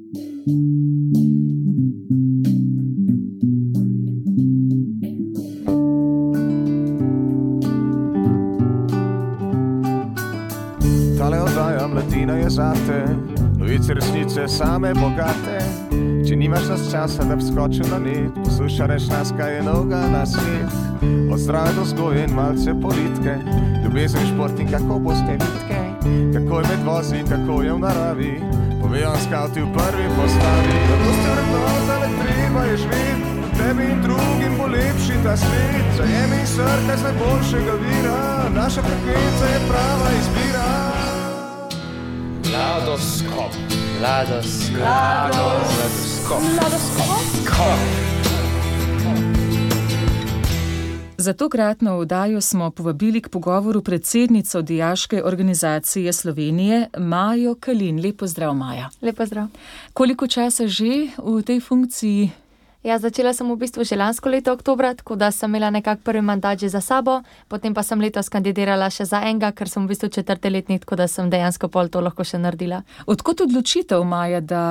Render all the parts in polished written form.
Tale oddaja Mladina je zate, novice resnice same bogate. Če nimaš nas časa, da bi skočil na net, poslušaj reč nas, kaj je novega na svet. Od zdrave do vzgoje in malce politike, ljubezen, šport in kako boste vitke. Kako je med vozi, kako je v naravi, povejo skavti v prvi postavi. Kako ste vrednota, ne treba je živeti, tebi in drugim bo lepši ta svet. Zajemi srce z najboljšega vira, naša frekvenca je prava izbira. Mladoskop. Za tokratno oddajo smo povabili k pogovoru predsednico Dijaške organizacije Slovenije, Majo Kalin. Lep pozdrav, Maja. Lep pozdrav. Koliko časa že v tej funkciji? Ja, začela sem v bistvu že lansko leto oktobra, tako da sem imela nekak prvi mandat že za sabo, potem pa sem letos kandidirala še za enega, ker sem v bistvu 4. letnik, tako da sem dejansko pol to lahko še naredila. Odkot odločitev, Maja, da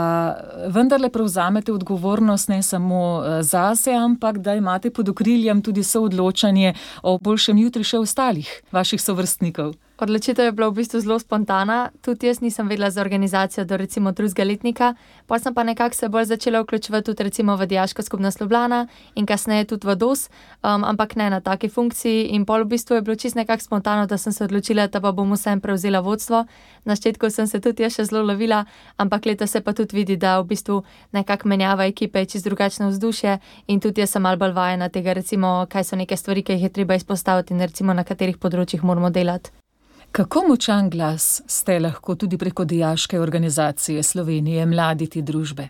vendarle prevzamete odgovornost ne samo zase, ampak da imate pod okriljem tudi soodločanje o boljšem jutri še ostalih vaših sovrstnikov? Odločitev je bila v bistvu zelo spontana, tudi jaz nisem vedela za organizacijo do recimo 2. letnika, potem sem pa nekako se bolj začela vključevati tudi recimo v Dijaško skupnost Ljubljana in kasneje tudi v DOS, ampak ne na taki funkciji in pol v bistvu je bilo čisto nekako spontano, da sem se odločila, da pa bom vsem prevzela vodstvo. Na začetku sem se tudi jaz še zelo lovila, ampak letos se pa tudi vidi, da v bistvu nekako menjava ekipe, čisto drugačno vzdušje in tudi jaz sem malo bolj vajena tega recimo, kaj so neke stvari, ki jih je treba izpostaviti in recimo na katerih področjih moramo delati. Kako močan glas ste lahko tudi preko Dijaške organizacije Slovenije, mladi te družbe?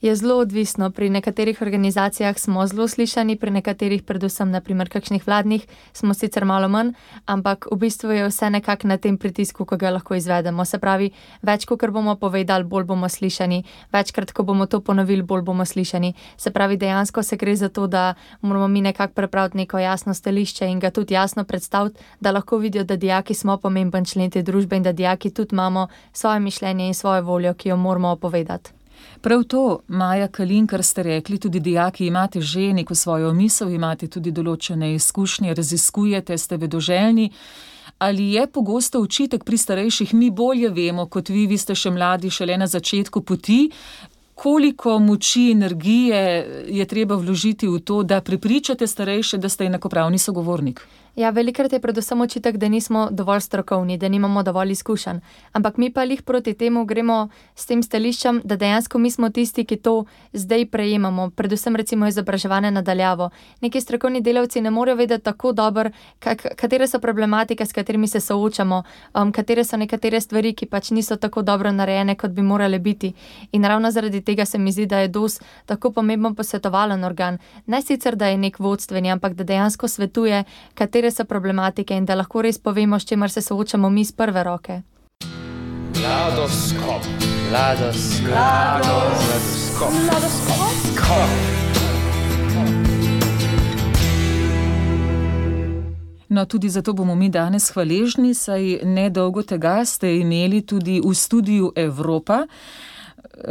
Je zelo odvisno. Pri nekaterih organizacijah smo zelo slišani, pri nekaterih, predvsem naprimer kakšnih vladnih, smo sicer malo manj, ampak v bistvu je vse nekako na tem pritisku, ko ga lahko izvedemo. Se pravi, več, kot bomo povedali, bolj bomo slišani, večkrat, ko bomo to ponovili, bolj bomo slišani. Se pravi, dejansko se gre za to, da moramo mi nekako prepraviti neko jasno stališče in ga tudi jasno predstaviti, da lahko vidijo, da dijaki smo pomemben člen te družbe in da dijaki tudi imamo svoje mišljenje in svojo voljo, ki jo moramo povedati. Prav to, Maja Kalin, kar ste rekli, tudi dijaki imate že neko svojo misel, imate tudi določene izkušnje, raziskujete, ste vedoželjni. Ali je pogosto očitek pri starejših, mi bolje vemo kot vi ste še mladi, šele na začetku poti? Koliko moči, energije je treba vložiti v to, da prepričate starejše, da ste enakopravni sogovornik? Ja, velikrat je predvsem očitek, da nismo dovolj strokovni, da nimamo dovolj izkušenj. Ampak mi pa lih proti temu gremo s tem stališčem, da dejansko mi smo tisti, ki to zdaj prejemamo, predvsem recimo izobraževanje nadaljavo. Neki strokovni delavci ne morejo vedeti tako dobro, katere so problematike, s katerimi se soočamo, katere so nekatere stvari, ki pač niso tako dobro narejene, kot bi morale biti. In ravno zaradi tega se mi zdi, da je DOS tako pomemben posvetovalen organ. Ne sicer, da je nek vodstveni, ampak da dejansko svetuje, katere so problematike in da lahko res povemo, s čimer se soočamo mi z prve roke. Mladoskop. No, tudi zato bomo mi danes hvaležni, saj nedolgo tega ste imeli tudi v studiu Evropa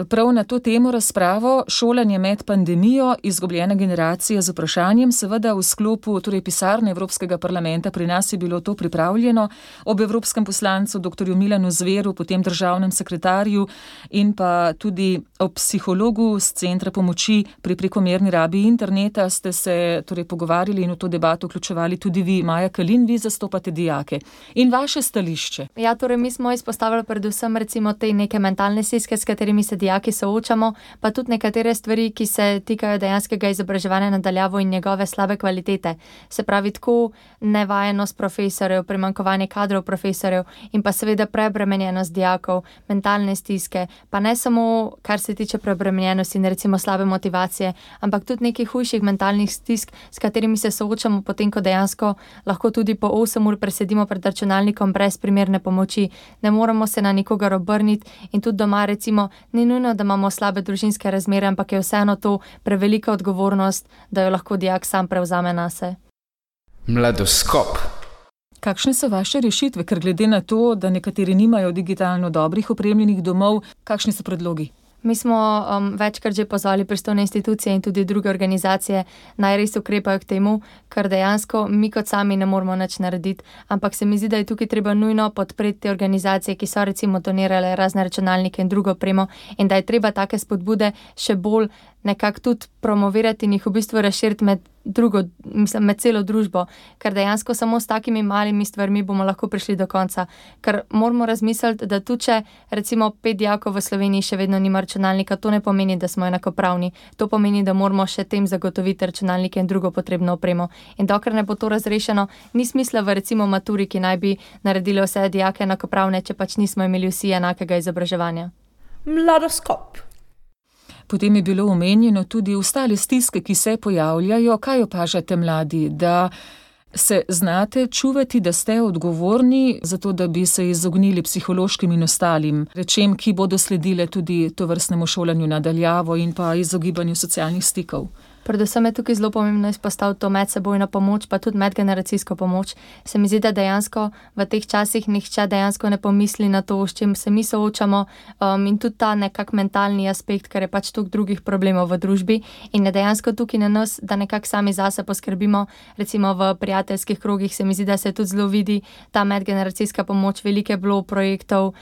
prav na to temo razpravo Šolanje med pandemijo, izgubljena generacija z vprašanjem, seveda v sklopu pisarne Evropskega parlamenta. Pri nas je bilo to pripravljeno ob evropskem poslancu dr. Milanu Zveru, potem državnem sekretarju in pa tudi ob psihologu z Centra pomoči pri prekomerni rabi interneta ste se pogovarjali in v to debato vključevali tudi vi, Maja Kalin, vi zastopate dijake. In vaše stališče? Ja, mi smo izpostavili predvsem recimo te neke mentalne stiske, s katerimi se dijaki soočamo, pa tudi nekatere stvari, ki se tikajo dejanskega izobraževanja nadaljavo in njegove slabe kvalitete. Se pravi, tako nevajenost profesorjev, primanjkovanje kadrov profesorjev in pa seveda preobremenjenost dijakov, mentalne stiske, pa ne samo kar se tiče preobremenjenosti in recimo slabe motivacije, ampak tudi nekih hujših mentalnih stisk, s katerimi se soočamo potem, ko dejansko lahko tudi po 8 ur presedimo pred računalnikom brez primerne pomoči. Ne moremo se na nikogar obrniti in tudi doma recimo ni nujno, da imamo slabe družinske razmere, ampak je vseeno to prevelika odgovornost, da jo lahko dijak sam prevzame nase. Mladoskop. Kakšne so vaše rešitve, ker glede na to, da nekateri nimajo digitalno dobrih opremljenih domov, kakšni so predlogi? Mi smo večkrat že pozvali pristojne institucije in tudi druge organizacije, naj res ukrepajo k temu, ker dejansko mi kot sami ne moramo nič narediti, ampak se mi zdi, da je tukaj treba nujno podpreti te organizacije, ki so recimo donirale razne računalnike in drugo opremo, in da je treba take spodbude še bolj nekako tudi promovirati in jih v bistvu razširiti med celo družbo, ker dejansko samo s takimi malimi stvarmi bomo lahko prišli do konca. Ker moramo razmisliti, da tudi če recimo 5 dijakov v Sloveniji še vedno nima računalnika, to ne pomeni, da smo enakopravni. To pomeni, da moramo še tem zagotoviti računalnike in drugo potrebno opremo. In dokler ne bo to razrešeno, ni smisla v recimo maturi, ki naj bi naredili vse dijake enakopravne, če pač nismo imeli vsi enakega izobraževanja. Mladoskop. Potem je bilo omenjeno tudi ostale stiske, ki se pojavljajo. Kaj opažate mladi, da se znate čuvati, da ste odgovorni za to, da bi se izognili psihološkim in ostalim rečem, ki bodo sledile tudi tovrstnemu šolanju na daljavo in pa izogibanju socialnih stikov? Predvsem je tukaj zelo pomembno izpostaviti to medsebojno pomoč, pa tudi medgeneracijsko pomoč. Se mi zdi, da dejansko v teh časih nihče dejansko ne pomisli na to, s čim se mi soočamo, in tudi ta nekak mentalni aspekt, ker je pač toliko drugih problemov v družbi in je dejansko tukaj na nas, da nekako sami zase poskrbimo. Recimo v prijateljskih krogih se mi zdi, da se tudi zelo vidi ta medgeneracijska pomoč, velike bilo projektov,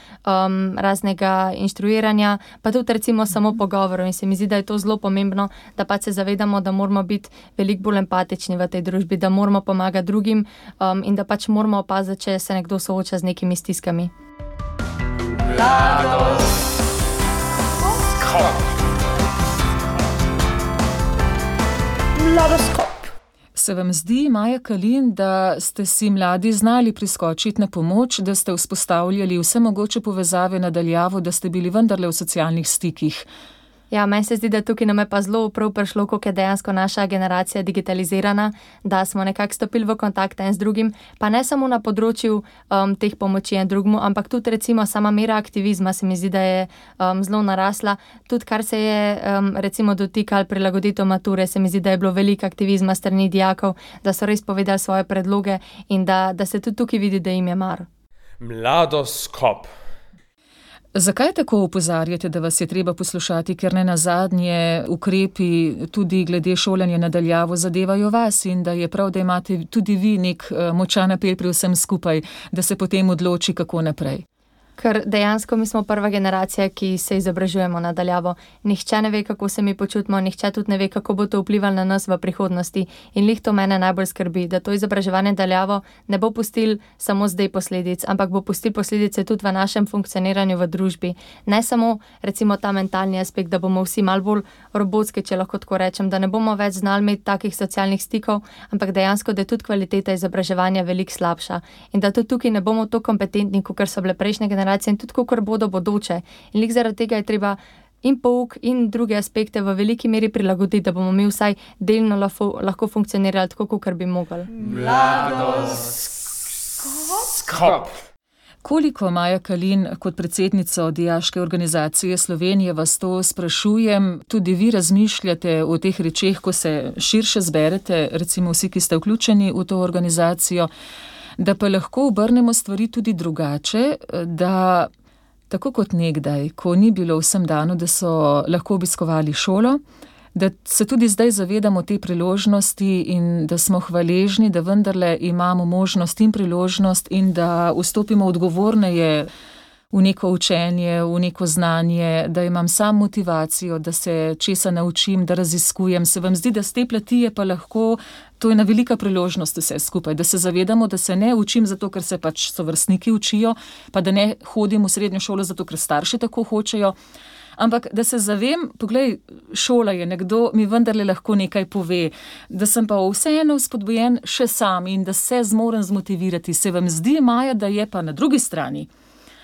raznega inštruiranja, pa tudi recimo samo pogovorov, in se mi zdi, da je to zelo pomembno, da pač se zavedamo, da moramo biti veliko bolj empatični v tej družbi, da moramo pomagati drugim, in da pač moramo opaziti, če se nekdo sooča z nekimi stiskami. Mladoskop. Se vam zdi, Maja Kalin, da ste si mladi znali priskočiti na pomoč, da ste vzpostavljali vse mogoče povezave na daljavo, da ste bili vendarle v socialnih stikih? Ja, meni se zdi, da tukaj nam je pa zelo prav prišlo, koliko je dejansko naša generacija digitalizirana, da smo nekako stopili v kontakt en z drugim, pa ne samo na področju teh pomoči en drugmu, ampak tudi recimo sama mera aktivizma se mi zdi, da je zelo narasla. Tudi kar se je recimo dotikalo prilagoditev mature, se mi zdi, da je bilo veliko aktivizma strani dijakov, da so res povedali svoje predloge in da se tudi tukaj vidi, da jim je mar. Mladoskop. Zakaj tako opozarjate, da vas je treba poslušati, ker ne nazadnje ukrepi tudi glede šolanja na daljavo zadevajo vas in da je prav, da imate tudi vi nek močan apel pri vsem skupaj, da se potem odloči, kako naprej? Ker dejansko mi smo prva generacija, ki se izobražujemo na daljavo. Nihče ne ve, kako se mi počutimo, nihče tudi ne ve, kako bo to vplivalo na nas v prihodnosti. In lih to mene najbolj skrbi, da to izobraževanje daljavo ne bo pustil samo zdaj posledic, ampak bo pustil posledice tudi v našem funkcioniranju v družbi. Ne samo recimo ta mentalni aspekt, da bomo vsi malo bolj robotski, če lahko tako rečem, da ne bomo več znali imeti takih socialnih stikov, ampak dejansko, da je tudi kvaliteta izobraževanja veliko slabša. In da tudi tukaj ne bomo to kompetentni, kot so bile prejšnje generacije in tudi kakor bodo bodoče. In lik zaradi tega je treba in pouk in druge aspekte v veliki meri prilagoditi, da bomo mi vsaj delno lahko funkcionirali tako, kakor bi mogli. Mladoskop. Koliko, Maja Kalin, kot predsednico Dijaške organizacije Slovenije, vas to sprašujem, tudi vi razmišljate o teh rečeh, ko se širše zberete, recimo vsi, ki ste vključeni v to organizacijo, da pa lahko obrnemo stvari tudi drugače, da tako kot nekdaj, ko ni bilo vsem dano, da so lahko obiskovali šolo, da se tudi zdaj zavedamo te priložnosti in da smo hvaležni, da vendarle imamo možnost in priložnost in da vstopimo odgovorneje v neko učenje, v neko znanje, da imam sam motivacijo, da se česa naučim, da raziskujem. Se vam zdi, da z te plati je pa lahko, to je ena velika priložnost vse skupaj, da se zavedamo, da se ne učim zato, ker se pač sovrstniki učijo, pa da ne hodim v srednjo šolo zato, ker starši tako hočejo, ampak da se zavem, poglej, šola je, nekdo mi vendarle lahko nekaj pove, da sem pa vseeno spodbujen še sam in da se zmorem zmotivirati. Se vam zdi, Maja, da je pa na drugi strani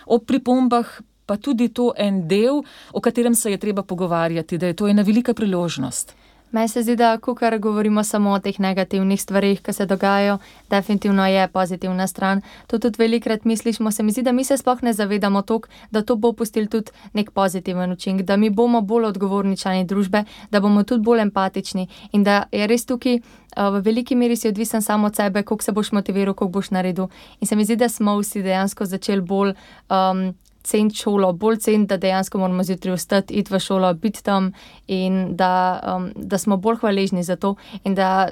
ob pripombah pa tudi to en del, o katerem se je treba pogovarjati, da je to ena velika priložnost? Meni se zdi, da kakor govorimo samo o teh negativnih stvarih, ki se dogajajo, definitivno je pozitivna stran. To tudi velikrat mislišmo, se mi zdi, da mi se sploh ne zavedamo toliko, da to bo pustil tudi nek pozitiven učinek, da mi bomo bolj odgovorni člani družbe, da bomo tudi bolj empatični in da je res tukaj v veliki meri si odvisen samo od sebe, koliko se boš motiviral, koliko boš naredil. In se mi zdi, da smo vsi dejansko začeli bolj ceniti šolo, bolj ceniti, da dejansko moramo zjutraj vstati, iti v šolo, biti tam in da smo bolj hvaležni za to in da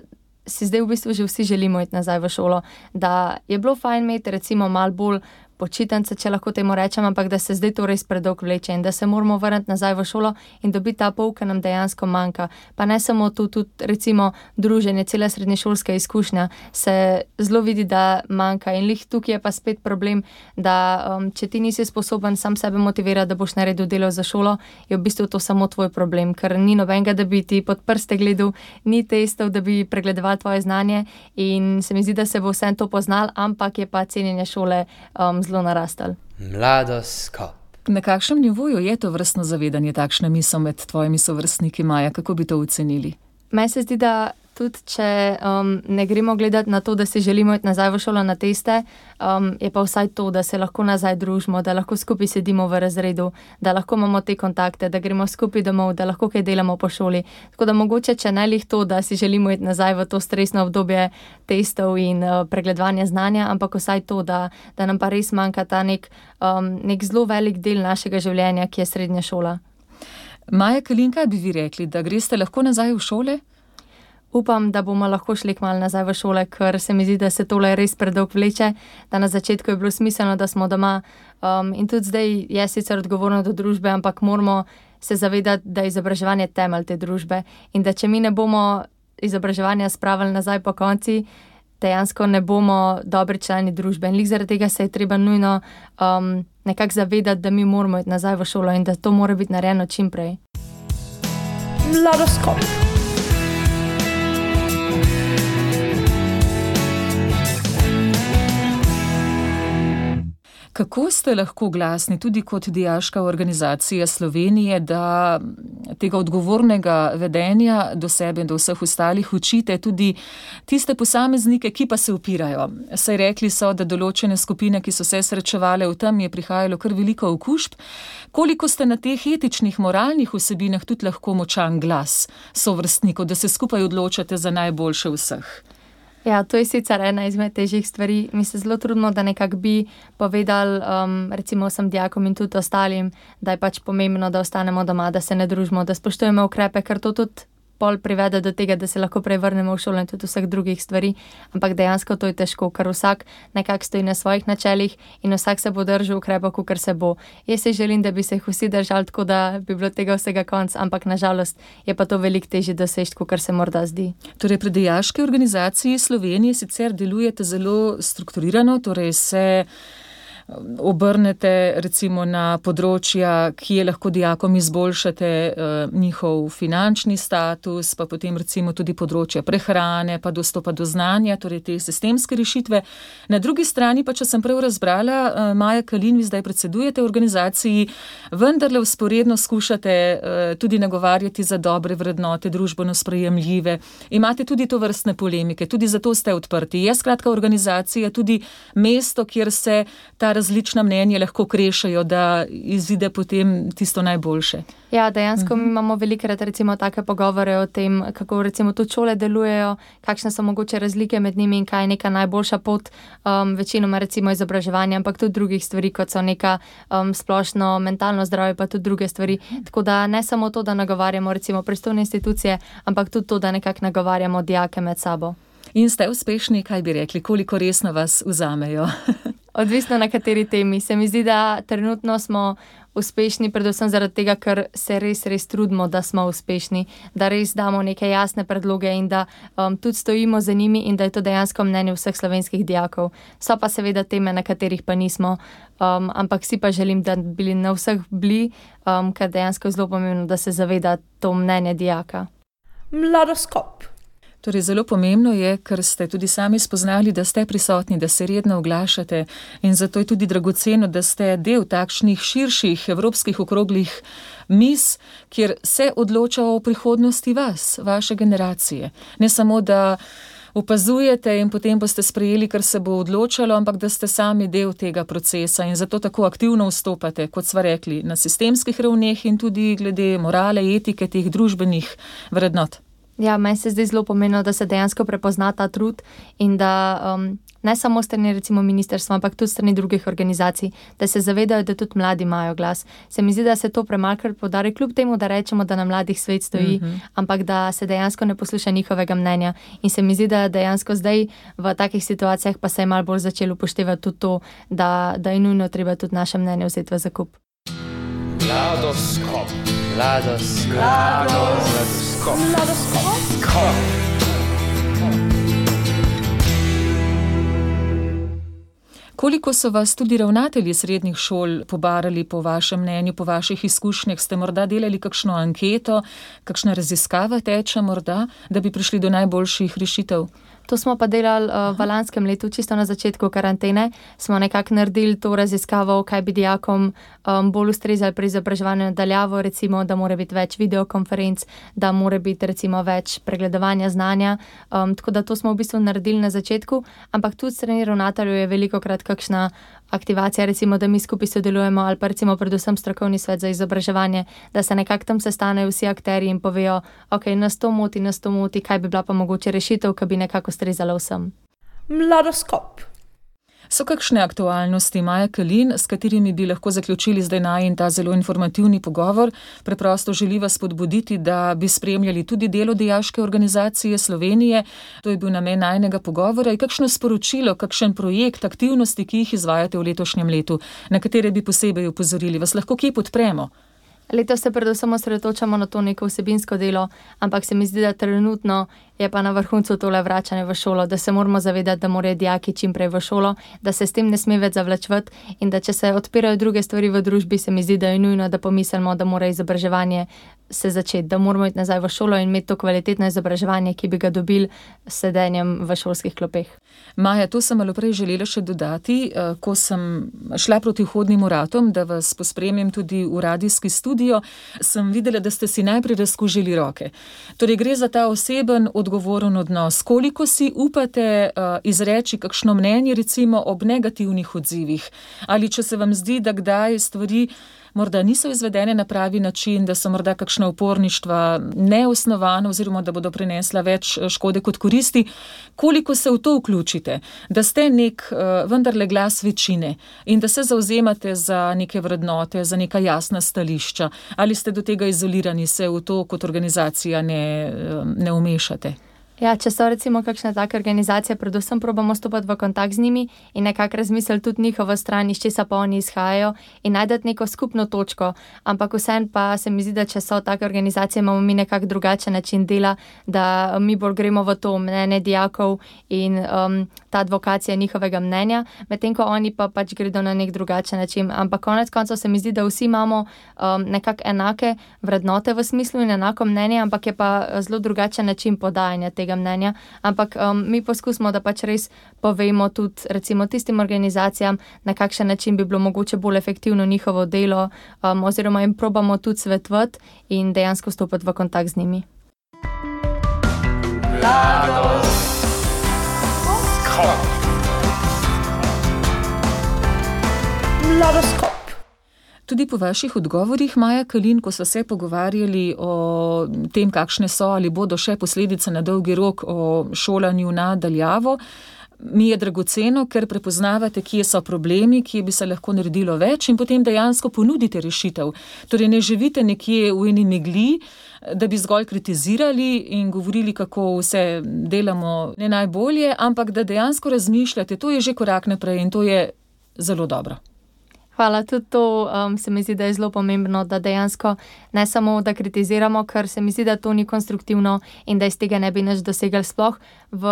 si zdaj v bistvu že vsi želimo iti nazaj v šolo, da je bilo fajn imeti recimo malo bolj počitnice, če lahko temu rečem, ampak da se zdaj to res predolgo vleče in da se moramo vrniti nazaj v šolo in dobiti ta pouk, ki nam dejansko manjka. Pa ne samo tu, tudi recimo druženje, cela srednješolska izkušnja se zelo vidi, da manjka in lih tukaj je pa spet problem, da če ti nisi sposoben sam sebe motivirati, da boš naredil delo za šolo, je v bistvu to samo tvoj problem, ker ni nobenega, da bi ti pod prste gledal, ni testov, da bi pregledoval tvoje znanje in se mi zdi, da se bo vsem to poznal, ampak je pa cenjenje šole zelo narastel. Mladoskop. Na kakšnem nivoju je to vrstno zavedanje, takšna misel med tvojimi sovrstniki, Maja? Kako bi to ocenili? Meni se zdi, da tudi če ne gremo gledati na to, da si želimo iti nazaj v šolo na teste, je pa vsaj to, da se lahko nazaj družimo, da lahko skupaj sedimo v razredu, da lahko imamo te kontakte, da gremo skupaj domov, da lahko kaj delamo po šoli. Tako da mogoče, če ne lih to, da si želimo iti nazaj v to stresno obdobje testov in pregledovanja znanja, ampak vsaj to, da nam pa res manjka ta nek zelo velik del našega življenja, ki je srednja šola. Maja Kalin, kaj bi vi rekli, da greste lahko nazaj v šole? Upam, da bomo lahko šli kmalu nazaj v šole, ker se mi zdi, da se tole res predolgo vleče, da na začetku je bilo smiselno, da smo doma in tudi zdaj je sicer odgovorno do družbe, ampak moramo se zavedati, da je izobraževanje temelj te družbe in da če mi ne bomo izobraževanja spravili nazaj po konci, dejansko ne bomo dobri člani družbe. In lih zaradi tega se je treba nujno nekako zavedati, da mi moramo iti nazaj v šolo in da to mora biti narejeno čim prej. Mladoskop. Kako ste lahko glasni tudi kot dijaška organizacija Slovenije, da tega odgovornega vedenja do sebe in do vseh ostalih učite tudi tiste posameznike, ki pa se upirajo? Saj rekli so, da določene skupine, ki so se srečevale v tem, je prihajalo kar veliko okužb. Koliko ste na teh etičnih, moralnih vsebinah tudi lahko močan glas sovrstnikov, da se skupaj odločate za najboljše vseh? Ja, to je sicer ena izmed težjih stvari. Mi se zelo trudimo, da nekako bi povedali recimo vsem dijakom in tudi ostalim, da je pač pomembno, da ostanemo doma, da se ne družimo, da spoštujemo ukrepe, ker to tudi pol privede do tega, da se lahko prej vrnemo v šolo in tudi vseh drugih stvari. Ampak dejansko to je težko, ker vsak nekako stoji na svojih načelih in vsak se bo držal ukrepov, kakor se bo. Jaz si želim, da bi se jih vsi držali tako, da bi bilo tega vsega konc, ampak nažalost je pa to veliko težje doseči, kakor se morda zdi. Torej, pri dijaški organizaciji Slovenije sicer delujete zelo strukturirano, torej se obrnete recimo na področja, kje lahko dijakom izboljšate njihov finančni status, pa potem recimo tudi področja prehrane, pa dostopa do znanja, torej te sistemske rešitve. Na drugi strani pa, če sem prav razbrala, Maja Kalin, vi zdaj predsedujete organizaciji, vendarle vzporedno skušate tudi nagovarjati za dobre vrednote, družbeno sprejemljive. Imate tudi to vrstne polemike, tudi zato ste odprti. Je skratka organizacija tudi mesto, kjer se ta različna mnenja lahko krešajo, da izide potem tisto najboljše. Ja, dejansko mi imamo velikrat recimo take pogovore o tem, kako recimo tudi šole delujejo, kakšne so mogoče razlike med njimi in kaj je neka najboljša pot, večinoma recimo izobraževanja, ampak tudi drugih stvari, kot so neka splošno mentalno zdravje, pa tudi druge stvari. Tako da ne samo to, da nagovarjamo recimo pristojne institucije, ampak tudi to, da nekako nagovarjamo dijake med sabo. In ste uspešni, kaj bi rekli, koliko resno vas vzamejo? Odvisno na kateri temi. Se mi zdi, da trenutno smo uspešni, predvsem zaradi tega, ker se res trudimo, da smo uspešni, da res damo neke jasne predloge in da tudi stojimo za njimi in da je to dejansko mnenje vseh slovenskih dijakov. So pa seveda teme, na katerih pa nismo, ampak si pa želim, da bi na vseh bili, ker dejansko je zelo pomembno, da se zaveda to mnenje dijaka. Mladoskop. Torej, zelo pomembno je, ker ste tudi sami spoznali, da ste prisotni, da se redno oglašate in zato je tudi dragoceno, da ste del takšnih širših evropskih okroglih miz, kjer se odloča o prihodnosti vas, vaše generacije. Ne samo, da opazujete in potem boste sprejeli, kar se bo odločalo, ampak da ste sami del tega procesa in zato tako aktivno vstopate, kot sva rekli, na sistemskih ravneh in tudi glede morale, etike, teh družbenih vrednot. Ja, meni se zdi zelo pomembno, da se dejansko prepozna ta trud in da ne samo strani recimo ministrstva, ampak tudi strani drugih organizacij, da se zavedajo, da tudi mladi imajo glas. Se mi zdi, da se to premalkrat poudari, kljub temu, da rečemo, da na mladih svet stoji, ampak da se dejansko ne posluša njihovega mnenja. In se mi zdi, da dejansko zdaj v takih situacijah pa se je malo bolj začelo upoštevati tudi to, da je nujno treba tudi naše mnenje vzeti v zakup. Mladoskop. Koliko so vas tudi ravnatelji srednjih šol pobarali po vašem mnenju, po vaših izkušnjah? Ste morda delali kakšno anketo, kakšna raziskava teče morda, da bi prišli do najboljših rešitev? To smo pa delali v lanskem letu, čisto na začetku karantene. Smo nekako naredili to raziskavo, kaj bi dijakom bolj ustrezali pri izobraževanju nadaljavo, recimo, da mora biti več videokonferenc, da mora biti recimo več pregledovanja znanja. Tako da to smo v bistvu naredili na začetku, ampak tudi strani ravnateljev je velikokrat kakšna aktivacija, recimo, da mi skupaj sodelujemo ali pa recimo predvsem strokovni svet za izobraževanje, da se nekako tam sestanejo vsi akterji in povejo, ok, nas to moti, kaj bi bila pa mogoče rešitev, ki bi nekako ustrezala vsem. Mladoskop. So kakšne aktualnosti, Maja Kalin, s katerimi bi lahko zaključili zdaj najin ta zelo informativni pogovor? Preprosto želi vas spodbuditi, da bi spremljali tudi delo Dijaške organizacije Slovenije. To je bil namen najinega pogovora. In kakšno sporočilo, kakšen projekt, aktivnosti, ki jih izvajate v letošnjem letu, na katere bi posebej opozorili? Vas lahko kje podpremo? Letos se predvsem osredotočamo na to neko vsebinsko delo, ampak se mi zdi, da trenutno je pa na vrhuncu tole vračanje v šolo, da se moramo zavedati, da morajo dijaki čim prej v šolo, da se s tem ne sme več zavlačevati in da če se odpirajo druge stvari v družbi, se mi zdi, da je nujno, da pomislimo, da mora izobraževanje se začeti, da moramo iti nazaj v šolo in imeti to kvalitetno izobraževanje, ki bi ga dobili s sedenjem v šolskih klopeh. Maja, to sem malo prej želela še dodati, ko sem šla proti vhodnim vratom, da vas pospremim tudi v radijski studio, sem videla, da ste si najprej razkužili roke. Torej gre za ta oseben, odgovoren odnos. Koliko si upate izreči kakšno mnenje, recimo ob negativnih odzivih? Ali če se vam zdi, da kdaj stvari morda niso izvedene na pravi način, da so morda kakšna uporništva neosnovana oziroma da bodo prinesla več škode kot koristi, koliko se v to vključite, da ste nek vendarle glas večine in da se zavzemate za neke vrednote, za neka jasna stališča, ali ste do tega izolirani, se v to kot organizacija ne umešate? Ja, če so recimo kakšne take organizacije, predvsem probamo stopati v kontakt z njimi in nekako razmisliti tudi njihovo stran, iz česa pa oni izhajajo in najdeti neko skupno točko. Ampak vseeno pa se mi zdi, da če so take organizacije, imamo mi nekako drugačen način dela, da mi bolj gremo v to mnenje dijakov in ta advokacija njihovega mnenja, medtem ko oni pa pač gredo na nek drugačen način. Ampak konec koncev se mi zdi, da vsi imamo nekako enake vrednote v smislu in enako mnenje, ampak je pa zelo drugačen način podajanja tega mnenja, ampak mi poskusimo, da pač res povemo tudi recimo tistim organizacijam, na kakšen način bi bilo mogoče bolj efektivno njihovo delo, oziroma jim probamo tudi svetovati in dejansko stopiti v kontakt z njimi. Mladoskop. Tudi po vaših odgovorih, Maja Kalin, ko so se pogovarjali o tem, kakšne so ali bodo še posledice na dolgi rok o šolanju na daljavo, mi je dragoceno, ker prepoznavate, kje so problemi, kje bi se lahko naredilo več in potem dejansko ponudite rešitev. Torej ne živite nekje v eni megli, da bi zgolj kritizirali in govorili, kako vse delamo ne najbolje, ampak da dejansko razmišljate, to je že korak naprej in to je zelo dobro. Hvala, tudi to se mi zdi, da je zelo pomembno, da dejansko ne samo, da kritiziramo, ker se mi zdi, da to ni konstruktivno in da iz tega ne bi nič dosegli sploh. V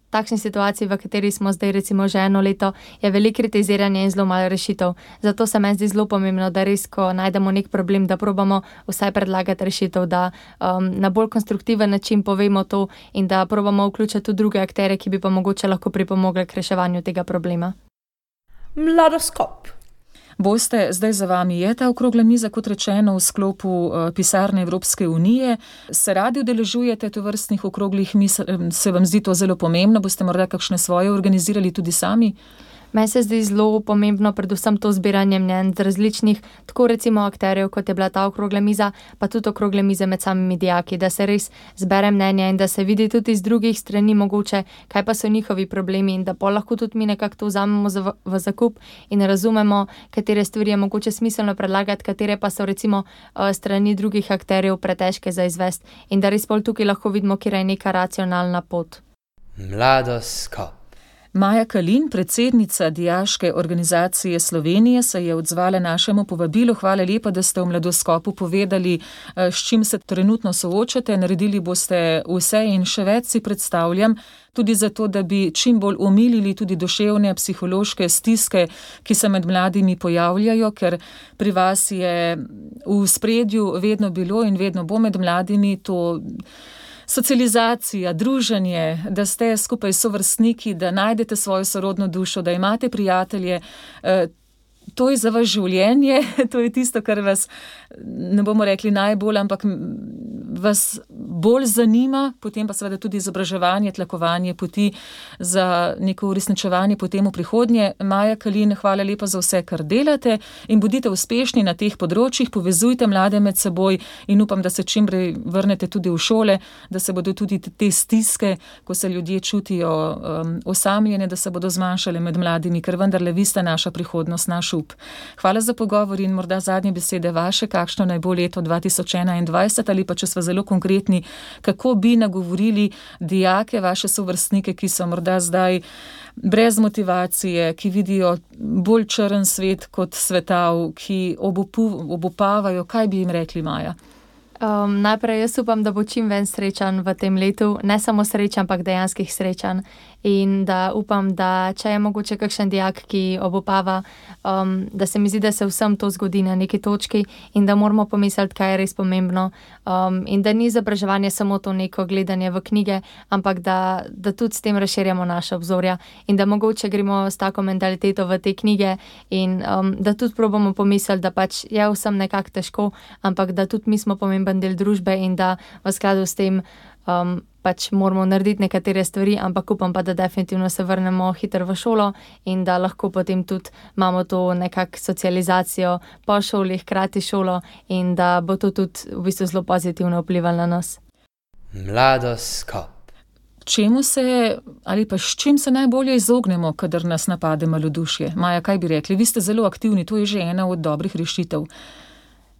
takšni situaciji, v kateri smo zdaj recimo že 1 leto, je veliko kritiziranja in zelo malo rešitev. Zato se meni zdi zelo pomembno, da res, ko najdemo nek problem, da probamo vsaj predlagati rešitev, da na bolj konstruktiven način povemo to in da probamo vključiti tudi druge akterje, ki bi pa mogoče lahko pripomogli k reševanju tega problema. Mladoskop. Boste, zdaj za vami je ta okrogla miza, kot rečeno, v sklopu pisarne Evropske unije. Se radi udeležujete tovrstnih okroglih miz? Se vam zdi to zelo pomembno? Boste morda kakšne svoje organizirali tudi sami? Meni se zdi zelo pomembno predvsem to zbiranje mnenj z različnih, tako recimo akterjev, kot je bila ta okrogla miza, pa tudi okrogle mize med samimi dijaki, da se res zbere mnenje in da se vidi tudi iz drugih strani mogoče, kaj pa so njihovi problemi in da pol lahko tudi mi nekako to vzamemo v zakup in razumemo, katere stvari je mogoče smiselno predlagati, katere pa so recimo strani drugih akterjev pretežke za izvesti in da res pol tukaj lahko vidimo, kjer je neka racionalna pot. Mladoskop. Maja Kalin, predsednica Dijaške organizacije Slovenije, se je odzvala našemu povabilu. Hvala lepa, da ste v Mladoskopu povedali, s čim se trenutno soočate. Naredili boste vse in še več, si predstavljam, tudi zato, da bi čim bolj omilili tudi duševne, psihološke stiske, ki se med mladimi pojavljajo, ker pri vas je v spredju vedno bilo in vedno bo med mladimi to socializacija, druženje, da ste skupaj s sovrstniki, da najdete svojo sorodno dušo, da imate prijatelje. To je za vas življenje, to je tisto, kar vas, ne bomo rekli najbolj, ampak vas bolj zanima, potem pa seveda tudi izobraževanje, tlakovanje poti za neko uresničevanje potem v prihodnje. Maja Kalin, hvala lepa za vse, kar delate in bodite uspešni na teh področjih, povezujte mlade med seboj in upam, da se čim prej vrnete tudi v šole, da se bodo tudi te stiske, ko se ljudje čutijo osamljene, da se bodo zmanjšale med mladimi, ker vendarle vi ste naša prihodnost, naš up. Hvala za pogovor in morda zadnje besede vaše, kakšno naj bo leto 2021 ali pa, če smo zelo konkretni, kako bi nagovorili dijake, vaše sovrstnike, ki so morda zdaj brez motivacije, ki vidijo bolj črn svet kot svetav, ki obupavajo, kaj bi jim rekli, Maja? Najprej jaz upam, da bo čim ven srečan v tem letu, ne samo srečan, ampak dejanskih srečan. In da upam, da če je mogoče kakšen dijak, ki obupava, da se mi zdi, da se vsem to zgodi na neki točki in da moramo pomisliti, kaj je res pomembno. In da ni izobraževanje samo to neko gledanje v knjige, ampak da tudi s tem razširjamo naše obzorja in da mogoče gremo s tako mentaliteto v te knjige in da tudi probamo pomisliti, da pač je vsem nekako težko, ampak da tudi mi smo pomemben del družbe in da v skladu s tem pač moramo narediti nekatere stvari, ampak upam pa, da definitivno se vrnemo hitro v šolo in da lahko potem tudi imamo to nekako socializacijo po šoli, hkrati šolo in da bo to tudi v bistvu zelo pozitivno vplivalo na nas. Mladoskop. Čemu se ali pa s čim se najbolje izognemo, kadar nas napade malodušje? Maja, kaj bi rekli? Vi ste zelo aktivni, to je že ena od dobrih rešitev.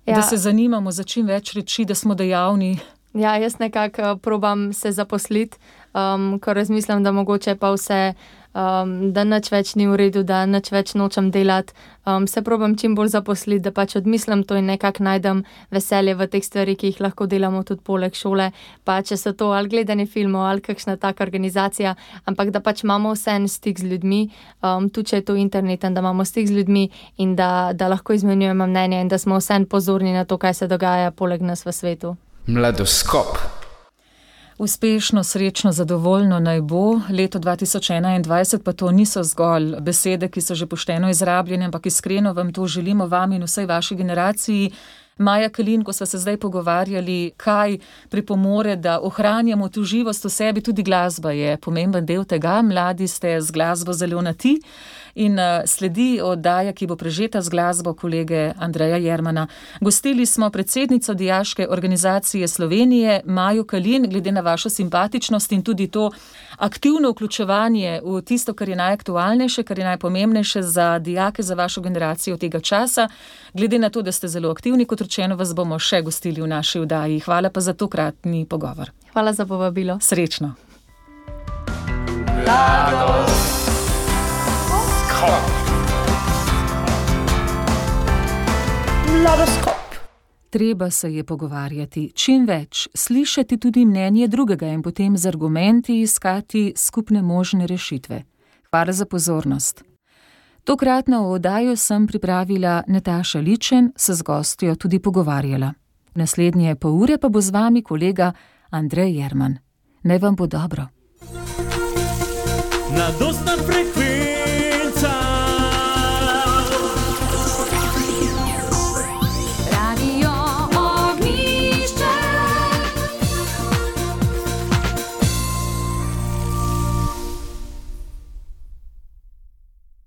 Ja. Da se zanimamo za čim več reči, da smo dejavni. Ja, jaz nekako probam se zaposliti, ko razmislim, da mogoče pa vse, da nič več ni v redu, da nič več nočem delati. Se probam čim bolj zaposliti, da pač odmislim to in nekako najdem veselje v teh stvari, ki jih lahko delamo tudi poleg šole. Pa če so to ali gledanje filmov ali kakšna taka organizacija, ampak da pač imamo vseeno stik z ljudmi, tudi če je to internet, da imamo stik z ljudmi in da lahko izmenjujemo mnenje in da smo vseeno pozorni na to, kaj se dogaja poleg nas v svetu. Mladoskop. Uspešno, srečno, zadovoljno naj bo. Leto 2021 pa to niso zgolj besede, ki so že pošteno izrabljene, ampak iskreno vam to želimo, vam in vsej vaši generaciji. Maja Kalin, ko sva se zdaj pogovarjali, kaj pripomore, da ohranjamo tu živost v sebi, tudi glasba je pomemben del tega. Mladi ste z glasbo zelo na ti. In sledi oddaja, ki bo prežeta z glasbo kolege Andreja Jermana. Gostili smo predsednico Dijaške organizacije Slovenije, Majo Kalin, glede na vašo simpatičnost in tudi to aktivno vključevanje v tisto, kar je najaktualnejše, kar je najpomembnejše za dijake, za vašo generacijo tega časa. Glede na to, da ste zelo aktivni, kot rečeno, vas bomo še gostili v naši oddaji. Hvala pa za tokratni pogovor. Hvala za povabilo. Srečno. Mladoskop. Treba se je pogovarjati, čim več, slišati tudi mnenje drugega in potem z argumenti iskati skupne možne rešitve. Hvala za pozornost. Tokratno oddajo sem pripravila Nataša Ličen, se z gostjo tudi pogovarjala. Naslednje pol ure pa bo z vami kolega Andrej Jerman. Naj vam bo dobro. Mladostna frekvenca